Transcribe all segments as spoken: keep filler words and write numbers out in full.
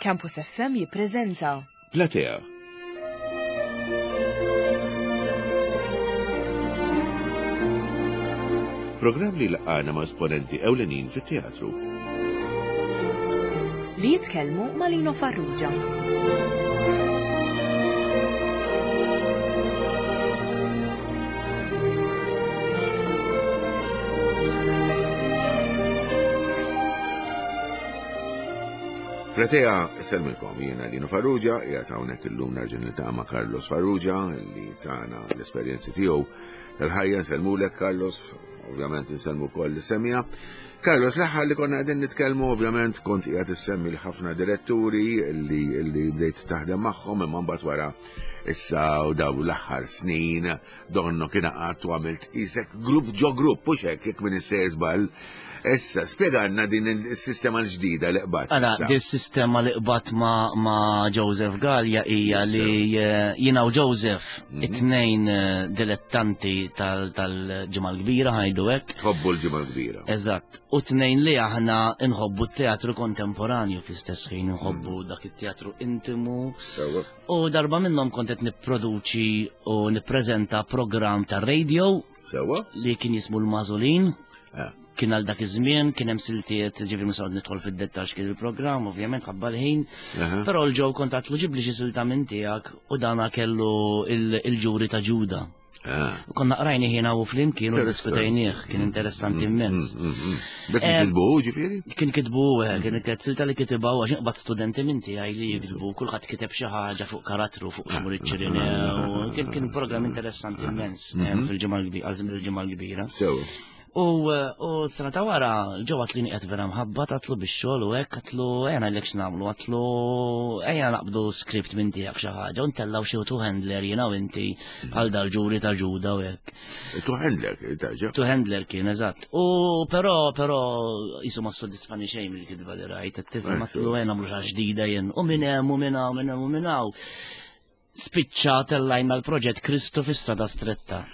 Campus F M jippreżenta Platea. Programm li laqana ma' esponenti ewlenin fit-teatru. Li jitkellmu ma' Lino Farrugia. Platea, sellmilkom, jiena Lino Farrugia, qiegħed hawnhekk illum nerġa' niltaqa' ma' Carlos Farrugia li tana l-esperjenzi tiegħu tal-ħajja. Nsellmulek, Carlos, ovvjament insellmu wkoll is-semmiegħa. Carlos, l-aħħar li konna qegħdin nitkellmu, ovvjament kont qiegħed issemmi l-ħafna diretturi li, li bdejt taħdem magħhom, imma mbagħad wara issa u daw l-aħħar snin donnu kien qatt u għamilt isek grupp ġo grupp, u hekk jekk minn issejjer żball. Issa, spjegalna din il-sistema l-ġdida li qbadt. Ara, issa. Din sistema li qbadt ma, ma Joseph Gallia hija li eh, jiena u Joseph Mhm. it-tnejn eh, dilettanti tal- tal-Ġimgħa l-Kbira, ħa ngħidu hekk. Tħobbu l-Ġimgħa l-Kbira. Eżatt. U tnejn li aħna nħobbu t-teatru kontemporanju fl-istess ħin, nħobbu dak it-teatru intimu. Sewwa. U darba minnhom kont qed nipproduċi u nippreżenta programm ta' radio Sewwa? li kien jismu l-Mażulin. Ah. Kien għal dak iż-żmien, kien hemm siltiet, ġifieri mhux nidħol fid-dettax kien il-programm, ovvjament ħabba l-ħin. Aha. Però l-ġew kont għatlu ġibli xi silta minn tiegħek u dana kellu il- il-ġuri ta' Ġuda. Ah. U konna qrajni ħina u flimkien u Interessanti. diskutejnieh, kien interessanti immens. Mm, mm, mm. Dak Eh, kitbu, ġifieri? Kien kitbu, eh, kien kien silta li kitibha għax inqbad studenti minn tiegħi li jiktbu, kulħadd kiteb xi ħaġa fuq karattru, fuq xmur iċ-Ċirinew. Kien kien programm interessanti immens eh, fil-Ġimgħa l-Kbira, għal żmien il-Ġimgħa l-Kbira. Sewwa. U eh, u sena ta' wara, ġew għatli nieqed vera mħabba, għatlu bix-xogħol u hekk, għatlu ejja ngħidlek x'nagħmlu, għatlu ejja naqbdu script minn tiegħek xi ħaġa u ntellaw xi two handler jiena u inti bħal dal-ġuri ta' Ġuda u hekk. Two handler, taġa. Two handler kien, eżatt. U però però jisu ma soddisfani xejn mill-kitba li rajt, qed tifhem, għatlu ejja nagħmlu xi ħaġa ġdida jien. U minn hemm u minn hawn minn hemm u minn hawn. Spiċċa tellajna l-proġett Kristu fis-Strada Stretta.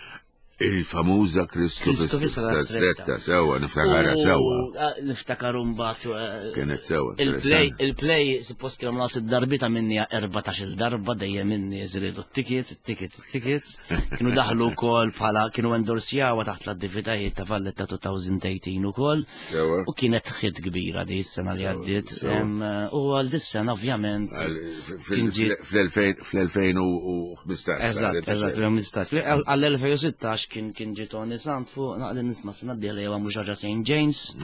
Il-famuża Kristu Kristu fis-Strada fis-Strada Stretta, Stretta. sewwa, niftakarha U, sewwa. eh, Niftakar mbagħad eh, Kienet sewwa. Il-play, interessanti. il-play, suppost kienu nas id-darbita minni erbatax-il darba, dejjem minni jżridu t-tickets, it-tickets, it-tickets. Kienu daħlu wkoll bħala, kienu endorsjawa taħt l-attivitajiet ta' Valletta elfejn u tmintax ukoll. Sewwa. U kienet hit kbira di s-sena li Sewwa, għaddiet. sewwa. Em, U għal dis-sena ovvjament. Għal- kien ġie- Fl-elfejn u ħmistax. Eżatt, eżatt, fl-elfejn u ħmistax. Għall-elfejn u sittax kien kien ġie Tony Sant fuq naqli nisma' sena d-dieħla jew mhux ħaġa Saint James.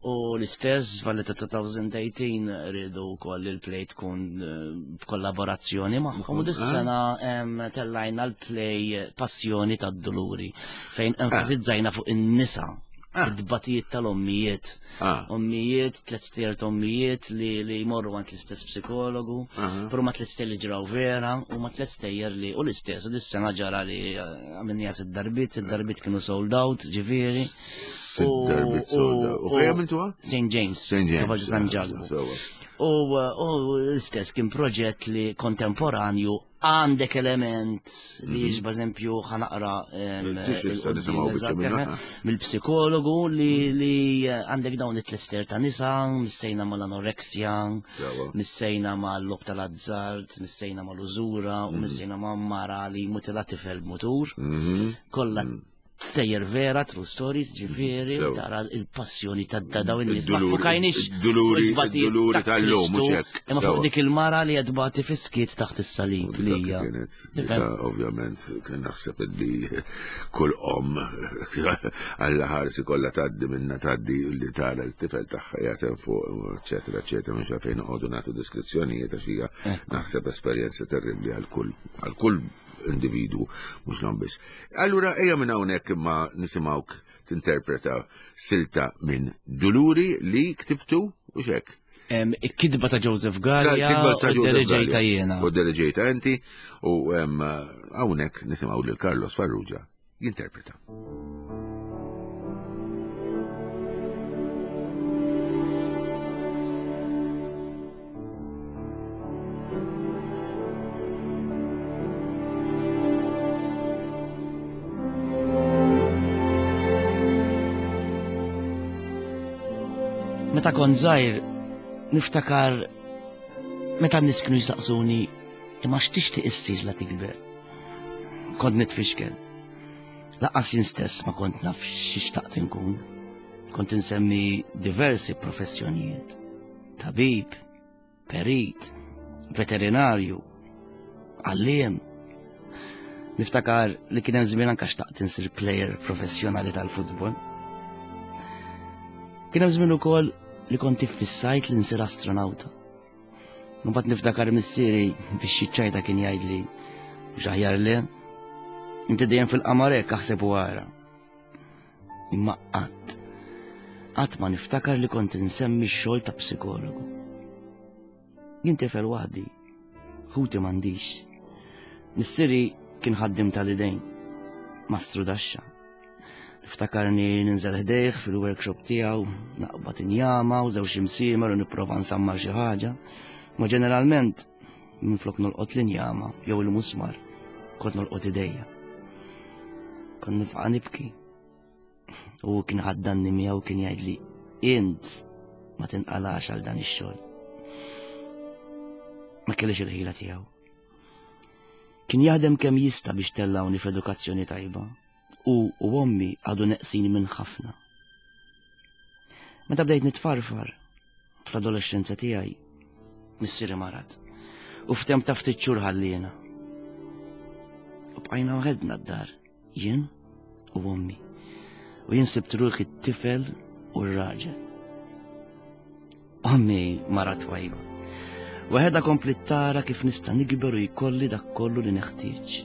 U l-istess Valletta elfejn u tmintax rridu wkoll il-play tkun eh, b'kollaborazzjoni magħhom. U dis-sena em, tellajna l-play Passjoni tad-Duluri fejn enfasizzajna fuq in-nisa, id-batijiet tal-ommijiet. Ah. Ommijiet, tliet stejjer ommijiet li, li jmorru għand l-istess psikologu, però ma tliet stejjer li ġraw vera, u ma tliet stejjer li, u l-istess, u dis-sena ġara li eh, għamilniha sitt darbiet, sitt darbiet kienu sold out, ġifieri. Sitt darbiet sold out. U fejn għamiltuha? Saint James. Saint James. Kapaċi San Ġakbu. Sewwa. U u l-istess kien proġett li kontemporanju, għandek element li jiġba eżempju ħa naqra em, Tix issa il-qudiem, nisimgħu biċċa eżatt, minnha. eh, mill-psikologu li li għandek dawn it-tlister ta' nisa, missejna mal-anoreksja, Sewwa. missejna mal-logħob tal-azzard, missejna mal-użura u missejna ma' mara li mutila tifel b'mutur. Mhm. Kollha stejjer vera, true stories, ġifieri, Sew. tara il-passjoni ta' ta' dawn in-nies. Ma Id-duluri- fukajniex id-duluri- fuq it-tbatijiet id-duluri ta' tal-lum, Kristu, mhux hekk. imma fuq Sewa. dik il-mara li qed tbati fis-skiet taħt is-salib li hija. Kienet, Tifhem? ovvjament, kien naħseb li kull om għalla ħarsi kollha tgħaddi minna tgħaddi li tara l-tifel tagħha jagħtem fuq, eċetera, eċetera, mhux għalfejn noqogħdu nagħtu deskrizzjonijiet għax hija naħseb esperjenza terribbli għal kull għal kull individu, mhux l biss. Allura ejja minn hawnhekk imma nisimgħuk tinterpreta silta minn Duluri li ktibtu u xek. Em, Il-kitba ta' Joseph Gallia Kitba ta' u Joseph diriġejta Gallia. jiena. U diriġejta inti u em, hawnhekk nisimgħu lil Carlos Farrugia jinterpreta. Meta kont żgħir niftakar Meta n-nies kienu jistaqsuni imma x'tixtieq issir la tikber. Kont nitfixkel. Lanqas jien stess ma kont naf x'xtaqt inkun. Kont insemmi diversi professjonijiet. Tabib, perit, veterinarju, għalliem. Niftakar li kien hemm żmien anke xtaqt insir player professjonali tal-futbol. Kien hemm żmien ukoll li kont iffissajt li nsir astronauta. Mbagħad niftakar missieri biex ċajta kien jgħidli mhux aħjar le, inti dejjem fil-qamar hekk aħseb u ara. Imma qatt, qatt ma niftakar li kont insemmi x-xogħol ta' psikologu. Jien tifel waħdi, ħuti m'għandix. Missieri kien ħaddim tal-idejn, mastru daxxa. Niftakarni ninżel ħdejh fil-workshop tiegħu, naqbad injama u żewġ imsiemer u nipprova nsammar xi ħaġa. Ma ġeneralment minflok nolqot l-injama jew il-musmar, kont nolqot idejja. Kont nifqa' nibki. U kien ħaddanni miegħu kien jgħidli int ma tinqalax għal dan ix-xogħol. Ma kellix il-ħila tiegħu. Kien jaħdem kemm jista' biex tellawni f'edukazzjoni tajba u u ommi għadu neqsin minn ħafna. Meta bdejt nitfarfar fl-adolescenza tiegħi, missieri marad u f'temp ta' ftit xhur ħalliena. U bqajna waħedna d-dar, jien u ommi. U jien sibt ruħi t-tifel u r-raġel. Ommi mara twajba. Waħedha kompli tara kif nista' nikber u jkolli dak kollu li neħtieġ.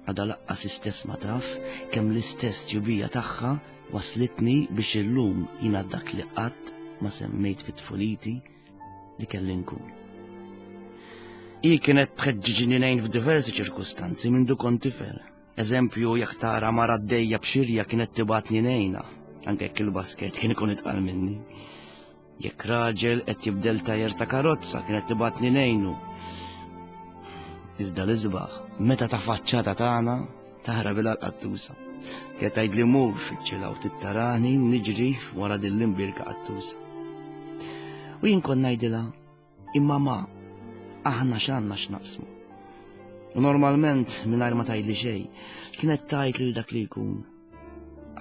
Għadha lanqas istess ma taf kemm l-istess tjubija tagħha waslitni biex illum jiena dak li qatt ma semmejt fit-tfuliti li kelli nkun. Hi kienet tħeġġiġni ngħin f'diversi ċirkustanzi minn du kont tifel. Eżempju, jekk tara mara għaddejja b'xirja kienet tibgħatni ngħinha, anke jekk il-basket kien ikun itqal minni. Jekk raġel qed jibdel tajer ta' karozza kienet tibgħatni ngħinu. Iżda l-isbaħ, meta ta' faċċata tagħna taħrab bil qattusa. Kienet tgħidli mur fiċ-ċila u tittarani niġri wara din l-imbirka qattusa. U jien kont ngħidilha, imma ma, aħna x'għandna x'naqsmu. U normalment mingħajr ma tgħidli xejn, kienet tgħid lil dak li jkun.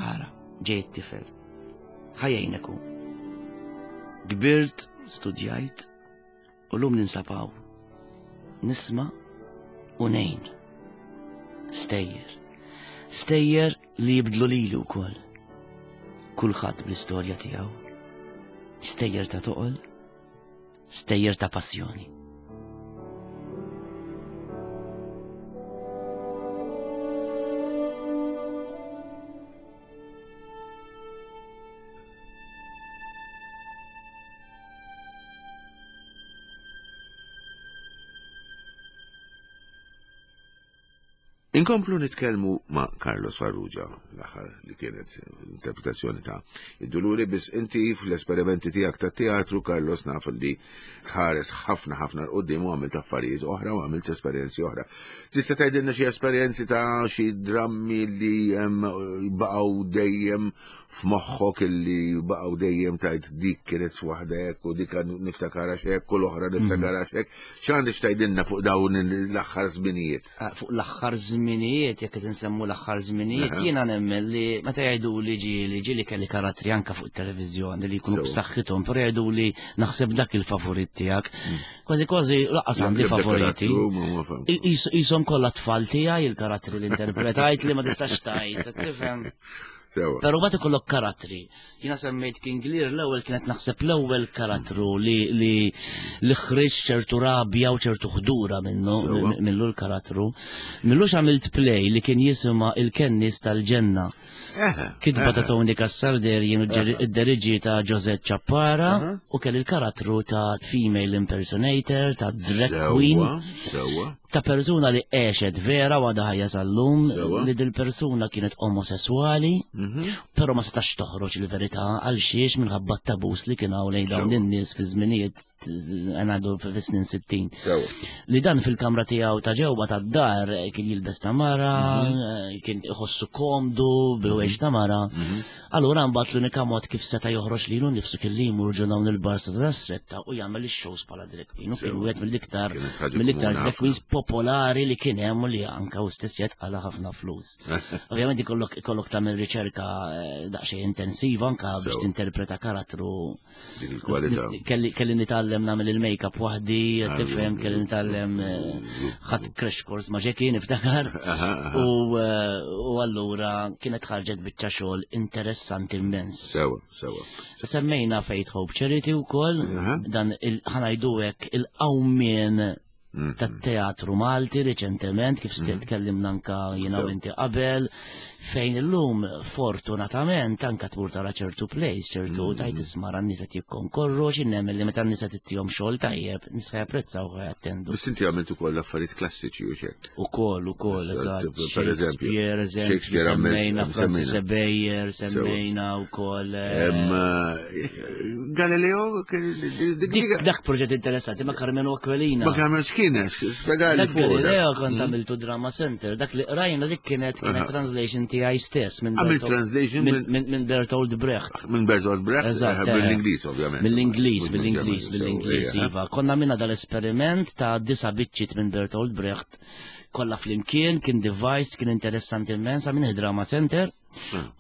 Ara, ġej it-tifel. Ħajjejnek hu. Kbirt, studjajt, u llum ninsab hawn. Nisma' u ngħin. Stejjer. Stejjer li jibdlu lili wkoll. Kulħadd bl-istorja tiegħu. Stejjer ta' toqol, stejjer ta' passjoni. Inkomplu nitkellmu ma' Carlos Farrugia, l-aħħar li kienet interpretazzjoni ta' id-Duluri, biss inti fl-esperimenti tiegħek ta' teatru, Carlos, naf li tħares ħafna ħafna 'l quddiem u għamilt affarijiet oħra u għamilt esperjenzi oħra. Tista' tgħidilna xi esperjenzi ta' xi drammi li baqgħu dejjem f'moħħok, illi baqgħu dejjem tajt dik kienet waħda hekk u dik niftakara x'hekk u l-oħra niftakara x'hekk. X'għandek tgħidilna fuq dawn l-aħħar żminijiet? Fuq l-aħħar żminijiet, jekk qed insemmu l-aħħar żminijiet, jiena nemmen li meta jgħidu li ġieli ġieli kelli karattri anke fuq it-televiżjoni li jkunu b'saħħithom, però jgħidu li naħseb dak il-favorit tiegħek. Kważi kważi lanqas għandi favoriti. Qishom kollha tfal tiegħi il-karattri li interpretajt li ma tistax tgħid, tifhem. Però mbagħad ikollok karattri. Jiena semmejt King Lear l-ewwel, kienet naħseb l-ewwel karattru li li li ħriġ ċertu rabja u ċertu ħdura minnu minnu l-karattru. Millux għamilt play li kien jisimha Il-Kennis tal-Ġenna. Kitba ta' Tony Cassar jien id-deriġi ta' Josette Ciappara u kelli il-karattru ta' female impersonator, ta' drag queen. Ta' persuna li għexet vera u għadha ħajja sal-lum, Sewa. li dil-persuna kienet omosessuali, Mhm. però ma setax toħroġ il-verità għal xiex minħabba t-tabus li kien hawn lejn dawn Sewa. in-nies fi żminijiet ngħidu fis-snin sittin. Sewa. Li dan fil-kamra tiegħu ta' ġewwa tad-dar eh, kien jilbes ta' mara, Mhm. eh, kien iħossu komdu bil-wejx ta' mara. Mhm. Allura mbagħad l-unika mod kif seta' joħroġ lilu nnifsu kien li jmur ġo dawn il-bars ta' stretta u jagħmel ix-shows bħala drag queen. U kien Sewa. wieħed mill-iktar Kienet ħaġa mill-iktar komuni drag queens popolari li kien hemm u li anka u stess jitqala ħafna flus. Ovvjament ikollok ikollok tagħmel riċerka eh, daqsxejn intensiva anka biex Sewa. tinterpreta karattru. Dik il-kwalità. Kelli kelli nitgħallem nagħmel il-make-up waħdi, Ah, tifhem, kelli nitgħallem eh, ħadd crash course ma' Jackie niftakar. Aha, aha. U eh, u allura kienet ħarġet biċċa xogħol interessanti immens. Sewa, sewa. Semmejna Faith Hope Charity wkoll, Aha. dan il ħa ngħidu hekk il-qawmien Mhm. tat-teatru Malti riċentement, kif tkellimna anka jiena u Sew. inti qabel, fejn illum fortunatament anka tmur tara ċertu plays, ċertu tajt isma' n-nies qed jikkonkorru, x'innemel li meta n-nies qed ittihom xogħol tajjeb, nies japprezzaw u jattendu. Biss inti għamilt ukoll affarijiet klassiċi u xek. Ukoll, ukoll, Issa, eżatt. per eżempju, Shakespeare, eżempju, Shakespeare għamilt- semmejna Francis semmejna. Bayer, semmejna ukoll. eh, Em, eh, Galileo, dik- Dik dik- dak proġett interessanti ma' Karmenu Aquilina. ma Carmen x'kienet, spjegali Dak fuq. dak. Galileo kont għamiltu Drama Center, dak li qrajna dik kienet kienet Aha. translation tiegħi stess minn Għamilt Bertolt- translation minn minn- minn- minn Bertolt Brecht. Minn Bertolt Brecht, Eżatt, eh, eh. mill-Ingliż ovvjament. Mill-Ingliż, Mhux mill-Ingliż, mill-Ġermaniż, mill-Ingliż, sew, iva. Konna minna dal-esperiment ta' disa biċċiet minn Bertolt Brecht kollha flimkien, kien devised, kien interessanti immens, minn Drama Center.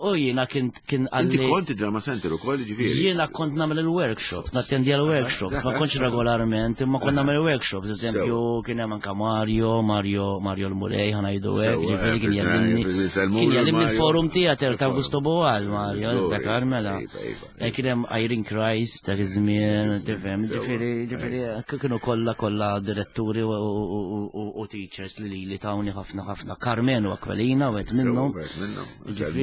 U jiena kien kien Inti għalli. kont Drama Center ukoll ġifieri. Jiena kont nagħmel il-workshops, nattendi għal-workshops, ma kontx regolarment, imma kont nagħmel workshops, eżempju kien hemm anka Mario, Mario, Mario l-Mulej, ħa ngħidu hekk, Sewa, ġifieri kien eh, jallimni. eh, nselmulu Kien jallimni Mario. l-forum theater ta' Il-forum. Augusto Boal, Mario, Żgur, dakar mela. iva, iva, Eh, Kien hemm Irene Christ dak iż-żmien, tifhem, Sewa, ġifieri, ġifieri kienu kollha kollha diretturi u- u- u u teachers li li tawni ħafna ħafna. Carmenu Aquilina, wieħed minnhom. Sewa, wieħed minnhom.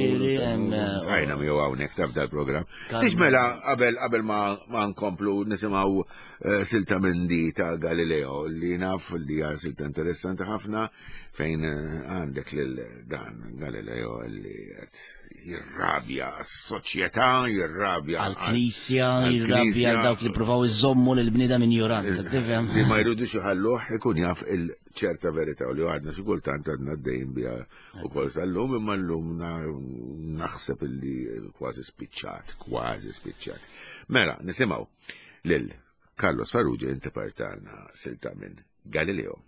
Ġifieri, hemm, eh, Għajna mi hawnhekk taf dal-programm. Carmen. Tix mela qabel qabel ma ma nkomplu nisimgħu eh, silta minn di ta' Galileo li naf li hija silta interessanti ħafna fejn eh, għandek lil dan Galileo li qed jirrabja s-soċjetà, jirrabja Għal-knisja, jirrabja għall-Knisja. għal dawk li provaw iżommu lil-bniedem injorant, tifhem? Li ma jridux iħalluh ikun jaf il-ċerta verità u li għadna xi kultant għadna d-dejn biha ukoll sal-lum imma llum na- naħseb illi kważi spiċċat, kważi spiċċat. Mela, nisimgħu lil Carlos Farrugia interpretalna silta minn Galileo.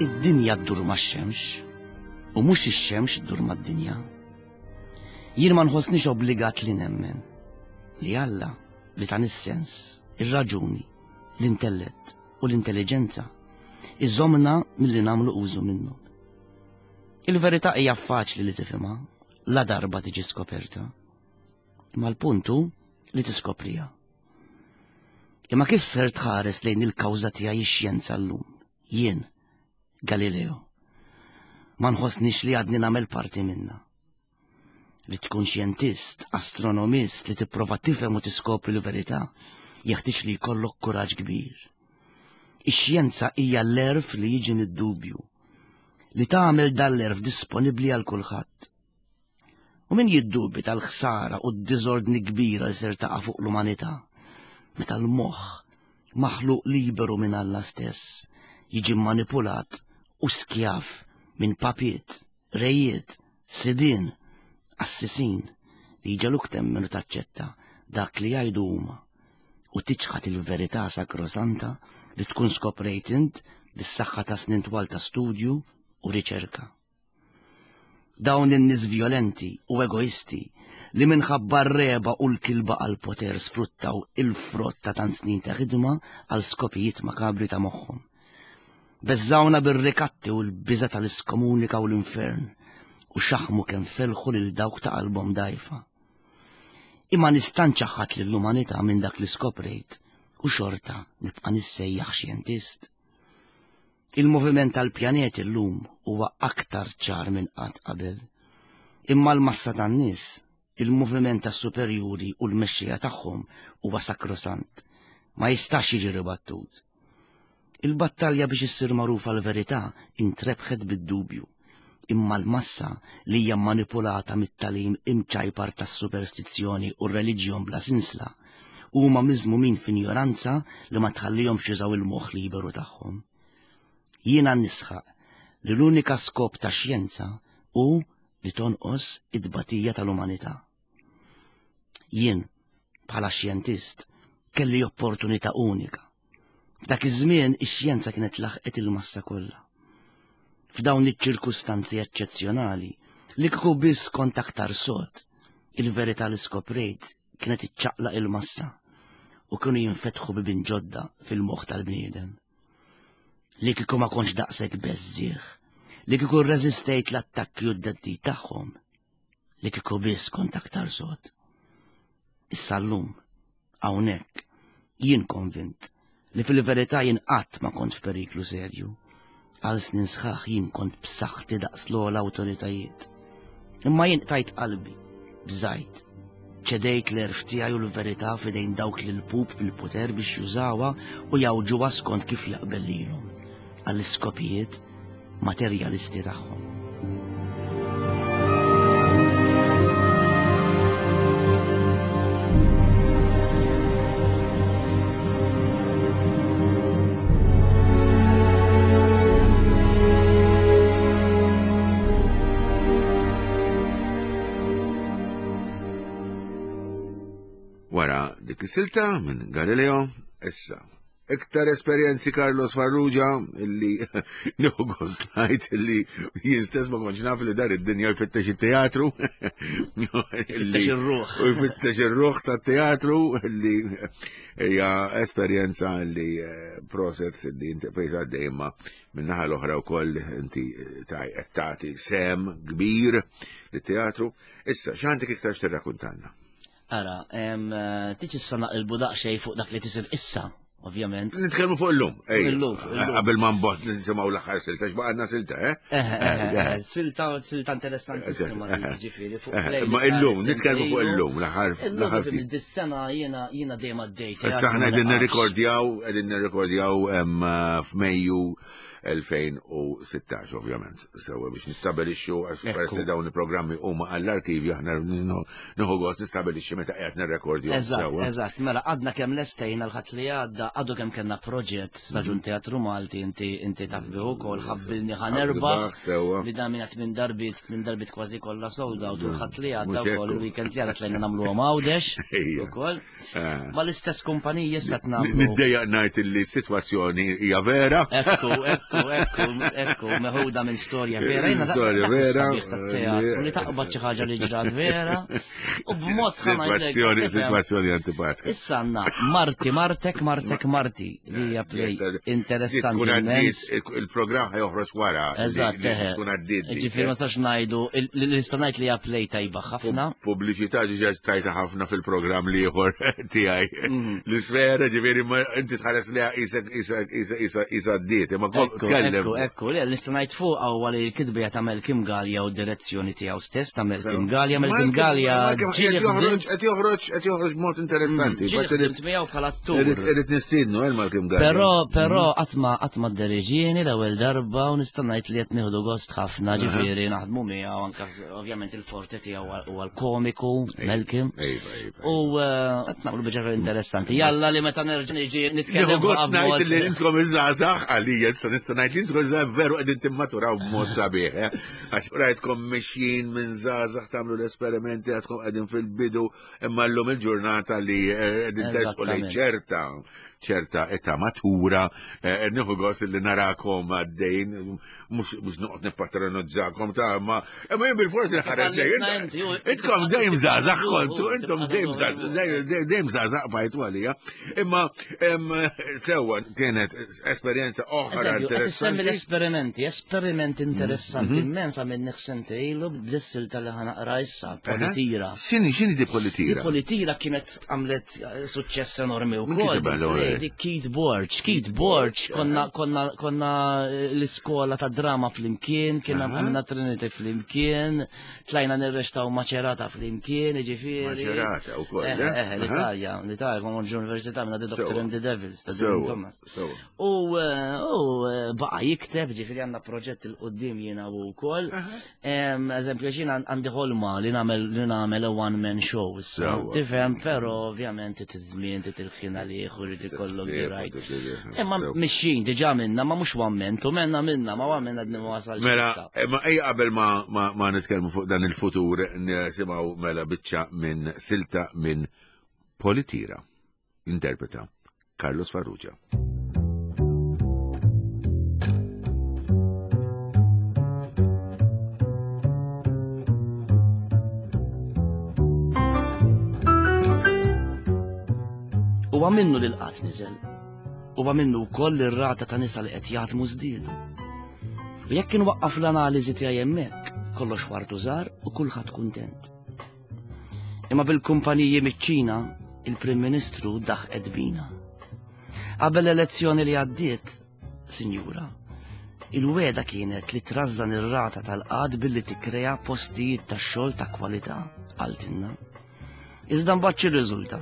Id-dinja ddur max-xemx u mhux ix-xemx ddur mad-dinja. Jien ma nħossnix obbligat li nemmen li Alla li tan is-sens, ir-raġuni, l-intellett u l-intelligenza iżomna milli nagħmlu użu minnhom. Il-verità hija faċli li tifhimha la darba tiġi skoperta. Imma l-punt hu li tiskopriha. Imma kif ser tħares lejn il-kawża tiegħi x-xjenza llum? Jien, Galileo. Ma nħossnix li għadni nagħmel parti minna. Li tkun xjentist, astronomist, li tipprova tifhem u tiskopri l-verità, jeħtieġ li jkollok kuraġġ kbir. Ix-xjenza hija l-erf li jiġi mid-dubju, li tagħmel dan l-erf disponibbli għal kulħadd. U min jiddubi tal-ħsara u d-diżordni kbira li ser taqa' fuq l-umanità, meta l-moħħ maħluq liberu minn Alla stess jiġi manipulat u skjav minn papiet, rejiet, sidien, assisin li jġegħluk temmen u taċċetta dak li jgħidu huma u tiċħat il-verità sakrosanta li tkun skoprejt int bis-saħħa ta' snin twal ta' studju u riċerka. Dawn in-nies violenti u egoisti li minħabba r-reba u l-kilba għal poter sfruttaw il-frott ta' tant snin ta' ħidma għal skopijiet makabri ta' moħħhom. Beżżawna bir-rikatti u l-biża tal-iskomunika u l-infern u xaħmu kemm felħu lil dawk ta' qalbhom dajfa. Imma nista' nċaħħad lill-umanità minn dak li skoprejt u xorta nibqa' nissejjaħ xjentist. Il-moviment tal-pjaneti llum huwa aktar ċar minn qatt qabel. Imma l-massa tan-nies, il-moviment tas-superjuri u l-mexxija tagħhom huwa sakrosant, ma jistax jiġi ribattut. Il-battalja biex issir magħrufa l-verità intrebħet bid-dubju, imma l-massa li hija manipulata mit-talim imċajpar tas-superstizzjoni u r-reliġjon bla sinsla huma miżmumin f'injoranza li ma tħallihomx jużaw il-moħħ liberu tagħhom. Jiena nisħaq li l-unika skop ta' xjenza hu li tonqos id-batija tal-umanità. Jien, bħala xjentist, kelli opportunità unika. F'dak iż-żmien ix-xjenza kienet laħqet il-massa kollha. F'dawn iċ-ċirkustanzi eċċezzjonali li kieku biss kont aktar sod, il-verità li skoprejt kienet iċċaqlaq il-massa u kienu jinfetħu bibien ġodda fil-moħħ tal-bniedem. Li kieku ma kontx daqshekk beżżieħ, li kieku rreżistejt l-attakki u d-deddid tagħhom, li kieku biss kont aktar sod. Issa llum, hawnhekk, jien konvint li fil-verità jien qatt ma kont f'periklu serju. Għal snin sħaħ jien kont b'saħħti daqs l-ogħla awtoritajiet. Imma jien qtajt qalbi, bżajt, ċedejt l-erf tiegħi u l-verità f'idejn dawk li l-pup fil-poter biex jużawha u jawġuha skont kif jaqbel lilhom għall-iskopijiet materjalisti tagħhom. Wara dik is-silta minn Galileo, issa iktar esperjenzi Carlos Farrugia illi nieħu gost ngħid illi jien stess ma kontx naf li dar id-dinja jfittex it-teatru. Jfittex ir-ruħ. U jfittex ir-ruħ tat-teatru illi hija esperjenza li proset li inti bqejt għaddej imma min-naħa l-oħra wkoll inti qed tagħti sehem kbir lit-teatru. Issa x'għandek iktar x'tirrakkuntalna? Ara, tiġi issa naqilbu daqsxejn fuq dak li tisir issa, ovvjament. Nitkellmu fuq illum, ej. Illum, illum. Qabel ma nbot nisimgħu l-aħħar silta, x'baqgħadna silta, eh? Silta, silta interessantissima ġifieri fuq play. Ma illum, nitkellmu fuq illum, l-aħħar l-aħħar ftit. Dis-sena jiena jiena dejjem għaddejt. Issa aħna qegħdin nirrikordjaw, qegħdin nirrikordjaw f'Mejju elfejn u sittax, ovvjament. Sewa biex nistabilixxu għax peress li dawn il-programmi huma għall-arkivju aħna nieħu gost nistabilixxi meta qiegħed nirrekordjaw. Eżatt, eżatt, mela għadna kemm lestejna l-ħadd li għadda, għadu kemm kellna proġett staġun teatru Malti, inti inti taf bih ukoll, ħabbilni ħanerbaħ. Li dan minn minn darbit, minn darbit kważi kollha sold out u l-ħadd li għadda wkoll il-weekend li għadda tlajna nagħmluhom Għawdex ukoll. Ma l-istess kumpaniji issa tnagħmlu. Niddejjaq ngħid li s-sitwazzjoni hija vera. Ekku, ekku, ekku, ekku, meħuda minn storja vera. Jiena Storja vera. Sabiħ tat-teatru li taqbad xi ħaġa li ġrat vera u b'mod Sitwazzjoni, sitwazzjoni antipatika. Issa għandna Marti, Martek, Martek, Marti li hija play interessanti. Tkun għaddiet, il-programm ħajoħroġ wara. Eżatt, eħe. Tkun għaddiet. Ġifieri ma sax ngħidu, li nista' ngħid li hija play tajba ħafna. Pubbliċità ġiġa tajta ħafna fil-programm l-ieħor tiegħi. L-isfera ġifieri inti tħares liha isek isek isek isa għaddiet, imma tkellem. Ekku, ekku, li nista' ngħid fuq huwa li l-kitbija ta' Malcolm Galea u d-direzzjoni tiegħu stess ta' Malcolm Galea, Malcolm Galea qed joħroġ qed joħroġ qed joħroġ b'mod interessanti. Ġieli ħdimt miegħu bħala attur. Irid nistiednu eh Malcolm Galea. Però però qatt ma qatt ma dderiġieni l-ewwel darba u nista' ngħid li qed nieħdu gost ħafna, ġifieri naħdmu miegħu anke ovvjament il-forte tiegħu huwa l-komiku Malcolm. U qed nagħmlu biċċa interessanti. Jalla li meta nerġa' niġi nitkellem. Nieħu gost ngħid li intkom iż-żgħażagħ għalija issa nista' ngħid li intkom iż-żgħażagħ veru qegħdin timmaturaw b'mod sabiħ, eh? Għax rajtkom mixjin minn żgħażagħ tagħmlu l-esperimenti għadkom qegħdin fil-bidu imma llum il-ġurnata li qegħdin tersqu lejn ċerta ċerta età matura, nieħu gost li narakom għaddejn, mhux noqgħod nippatronizzakom ta' ma imma jien bil-forsi nħares lejn. Intkom dejjem żgħażagħ kontu, intom dejjem żgħażagħ, dejjem żgħażagħ bajtu għalija. Imma sewwa kienet esperjenza oħra interessanti. L-esperimenti, esperiment interessanti immens għamil sentejn ilu b'dis-silta li ħanaqra issa, Politira. X'inhi x'inhi di Politira? Di Politira kienet għamlet suċċess enormi wkoll. Di Keith Borg, Keith Borg, konna konna konna l-iskola ta' drama flimkien, kienna għamilna Trinity flimkien, tlajna nirrextaw Macerata flimkien, jiġifieri. Macerata wkoll. Eh, l-Italja, l-Italja, konna l-Università minna The Doctor and the Devils ta' Thomas. U baqa' jikteb, ġifieri għandna proġett il-qudiem jiena u wkoll. Eżempju, ġina għandi ħolma li nagħmel li nagħmel a one man show issa. Tifhem, però ovvjament it-żmien titilħin għalih u jrid ikollok right. Imma mixjin diġà minna, ma mhux one man, tu menna minna, ma one man għadni ma wasalx. Mela, imma ejja qabel ma ma nitkellmu fuq dan il-futur nisimgħu mela biċċa minn silta minn Politira. Interpreta Carlos Farrugia. Huwa minnu li l-qatt niżel. Huwa minnu wkoll li r-rata ta' nisa li qed jaħdmu żdiedu. U jekk inwaqqaf l-analiżi tiegħi hemmhekk, kollox wartu żgħar u kulħadd kuntent. Imma bil-kumpaniji miċ-Ċina, il-Prim Ministru daħqet bina. Qabel l-elezzjoni li għaddiet, Sinjura, il-weda kienet li trażżan ir-rata tal-qgħad billi tikkrea postijiet tax-xogħol ta' kwalità, qaltilna. Iżda mbagħad x'irriżulta?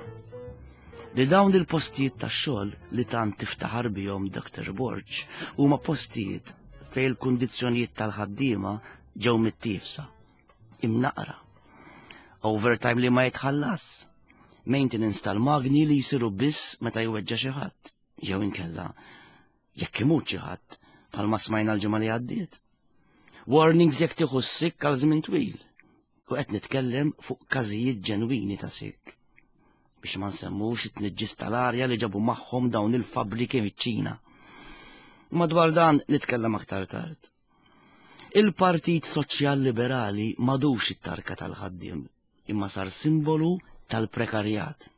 Li dawn il-postijiet tax-xogħol li tant tiftaħar bihom Doctor Borg huma postijiet fejn il-kundizzjonijiet tal-ħaddiema ġew mittiefsa, imnaqra, overtime li ma jitħallas, maintenance tal-magni li jsiru biss meta jweġġa' xi ħadd, jew inkella jekk imut xi ħadd bħalma smajna l-ġimgħa li għaddiet. Warnings jekk tieħu s-sikk għal żmien twil, u qed nitkellem fuq każijiet ġenwini ta' sikk. Biex ma nsemmux it-tniġġis tal-arja li ġabu magħhom dawn il-fabbriki miċ-Ċina. Madwar dan nitkellem aktar tard. Il-Partit Soċjal Liberali madux it-tarka tal-ħaddiem, imma sar simbolu tal-prekarjat.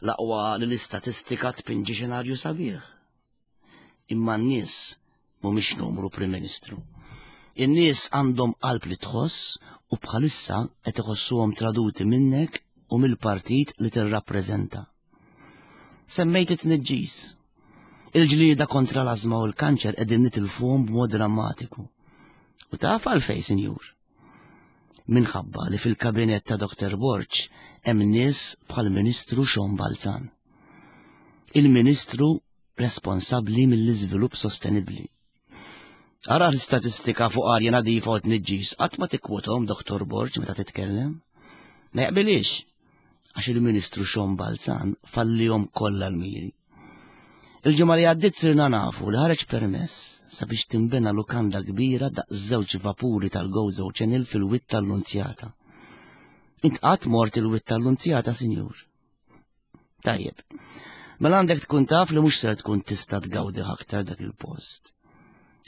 L-aqwa li l-istatistika tpinġi xenarju sabiħ. Imma n-nies mhumiex numru Prim Ministru. In-nies għandhom qalb li tħoss u bħalissa qed iħossuhom traduti minnek u mill-partit li tirrappreżenta. Semmejt it-tniġġis. Il-ġlieda kontra l-ażma u l-kanċer qegħdin nitilfuhom b'mod drammatiku. U taf għalfejn, Sinjur? Minħabba li fil-kabinett ta' Doctor Borg hemm nies bħall-Ministru Sean Balzan. Il-Ministru responsabbli mill-iżvilupp sostenibbli. Ara l-istatistika fuq arja nadifa u tniġġis qatt ma tikkwothom Doctor Borg meta titkellem. Ma jaqbilix, għax il-Ministru Sean Balzan fallihom kollha l-miri. Il-ġimgħa li għaddiet sirna nafu li ħareġ permess sabiex tinbena lukanda kbira daqs żewġ vapuri tal-Gozo Channel fil-Wied tal-Lunzjata. Int qatt mort il-Wied tal-Lunzjata, Sinjur? Tajjeb, mela għandek tkun taf li mhux ser tkun tista' tgawdi aktar dak il-post.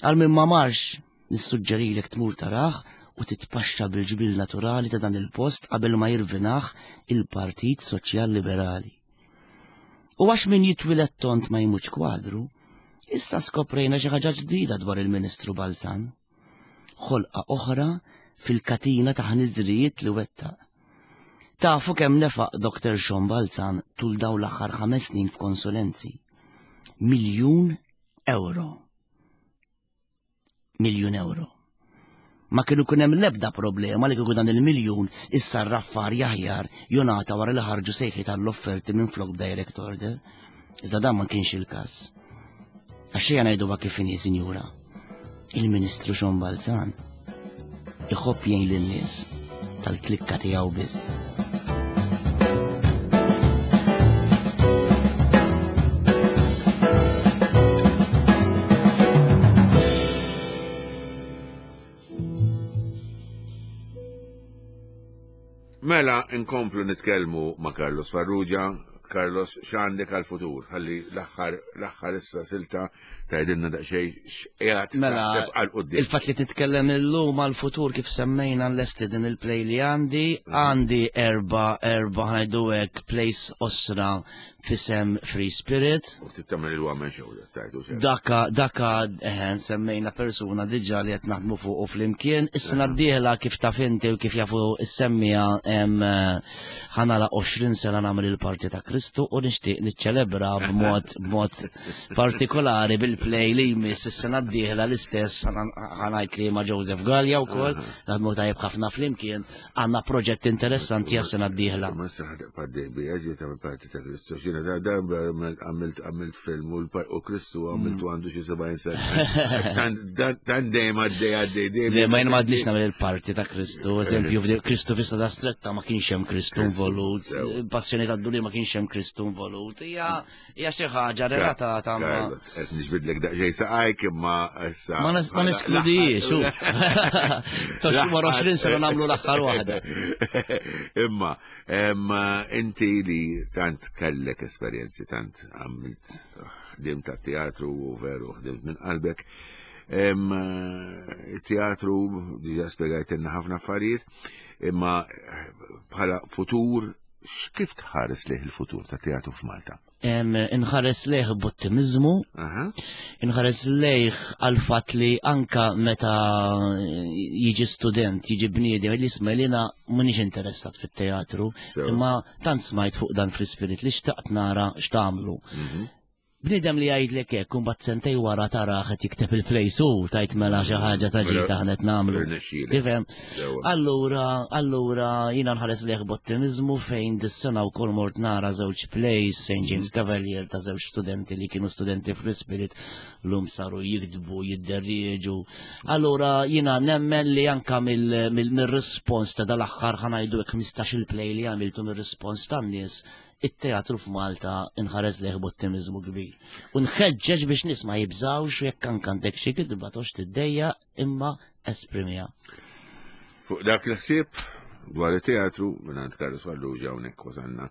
Għal min ma marx, nissuġġerilek tmur taraħ u titpaxxa bil-ġbil naturali ta' dan il-post qabel ma jirvinaħ il-Partit Soċjal Liberali. U għax min jitwilet tont ma jmutx kwadru, issa skoprejna xi ħaġa ġdida dwar il-Ministru Balzan. Ħolqa oħra fil-katina ta' ħniżrijiet li wettaq. Tafu kemm nefaq Doctor Sean Balzan tul dawn l-aħħar ħames snin f'konsulenzi. Miljun euro. Miljun euro. Ma kienu kun hemm l-ebda problema li kieku dan il-miljun issa r-raffar jaħjar jonata wara li ħarġu sejħi tal-offerti minn flok direct order. Iżda dan ma kienx il-każ. Għax xejn ngħiduha kif inhi, Sinjura. Il-Ministru Sean Balzan iħobb jgħin lin-nies tal-klikka tiegħu biss. Mela, inkomplu nitkellmu ma' Carlos Farrugia. Carlos, x'għandek għal-futur? Ħalli l-aħħar l-aħħar issa silta tgħidilna daqsxejn x'qiegħed Mela, taħseb għal quddiem. Il-fatt li titkellem illum għal-futur kif semmejna nlesti din il-play li għandi, għandi erba erba ħa ngħidu hekk plays qosra f'isem Free Spirit. U ftit tagħmel il-one man show tajtu sew. Daka, daka, eħen, semmejna persuna diġa li qed naħdmu fuq u flimkien. Is-sena d-dieħla kif taf inti u kif jafu is-semmija ħa nagħlaq għoxrin sena nagħmel il-parti ta' Kristu u nixtieq niċċelebra b'mod b'mod partikolari bil-play li jmiss is-sena d-dieħla l-istess ħa ngħid li ma' Joseph Gallia wkoll, naħdmu tajjeb ħafna flimkien, għandna proġett interessanti għas-sena d-dieħla. Ma issa ħa tibqa' dejbi, ġi tagħmel parti ta' Kristu. Xina da darba għamilt għamilt film u l- u Kristu għamiltu għandu xi sebgħin sena. Tant- Tant dejjem għaddej għaddej dejjem. Le, ma jien ma għadniex nagħmel il-parti ta' Kristu, eżempju, f'di- Kristu fissa stretta ma kienx hemm Kristu Kristu, involut, sew. Passjoni ta' Duli ma kienx hemm Kristu involut. Hija hija xi ħaġa relatata ma' Carlos, qed niġbidlek daqsxejn saqajk imma issa. Ma nes- ma neskludijiex, u. Ta' xi wara għoxrin sena nagħmlu l-aħħar waħda. Imma, em, inti li tant kellek esperjenzi, tant għamilt ħdimt ta' teatru u veru ħdimt minn qalbek. Em, Teatru, diġa spjegajtilna ħafna affarijiet, imma bħala futur, kif tħares lejh il-futur ta' teatru f'Malta? Em, Inħares lejh b'ottimizmu, Aha. inħares lejh għal fatt li anka meta jiġi student, jiġi bniedem, li isma' li jiena m'iniex interessat fit-teatru, Sew. imma tant smajt fuq dan Free Spirit li xtaqt nara x'tagħmlu. Mhm. Bniedem li jgħidlek hekk u mbagħad sentej wara tara qed jikteb il-plays u tajt mela xi ħaġa ta' Mela, ġita ħanet nagħmlu. Irnexxielek. Tifhem? Sewa. Allura, allura jiena nħares lejh b'ottimizmu fejn dis-sena wkoll mort nara żewġ plays Saint James Cavalier ta' żewġ studenti li kienu studenti Free Spirit lum saru jiktbu, jidderieġu. Allura jiena nemmen li anka mill- mill- mir-rispons ta' dal-aħħar ħa ngħidu hekk ħmistax il-play li għamiltu mir-rispons tan-nies, it-teatru f'Malta inħares lejh b'ottimizmu kbir. U nħeġġeġ biex nies ma jibżawx u jekk anke għandek xi kitba toqgħodx tiddejjaq imma esprimiha. Fuq dak il-ħsieb dwar it-teatru minn Carlos Farrugia hawnhekk wasalna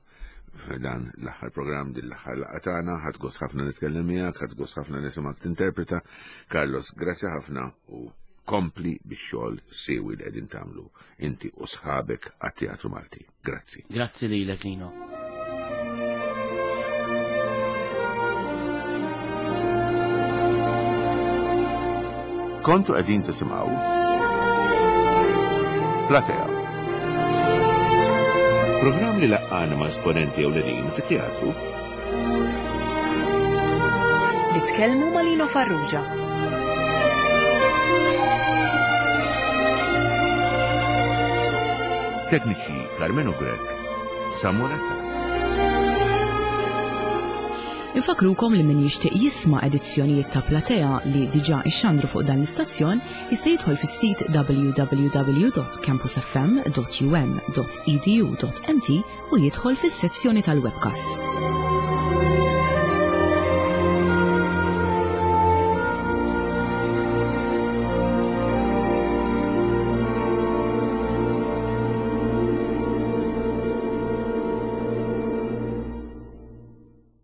f'dan l-aħħar programm din l-aħħar laqgħa tagħna, ħadt gost ħafna nitkellem miegħek, ħadt gost ħafna nisimgħek tinterpreta. Carlos, grazzi ħafna u kompli bix-xogħol siewi li qegħdin tagħmlu inti u sħabek għat-Teatru Malti. Grazzi. Grazzi lilek, Lino. Kontu qegħdin tisimgħu Platea. Programm li laqqana ma' esponenti ewlenin fit-teatru. Li tkellmu ma' Lino Farrugia. Tekniċi Carmenu Grech, Samuel Attard. Infakrukom li min jixtieq jisma' edizzjonijiet ta' Platea li diġà ixxandru fuq dan l-istazzjon jista' jidħol fis-sit w w w dot campusfm dot u m dot e d u dot m t u jidħol fis-sezzjoni tal-webcasts.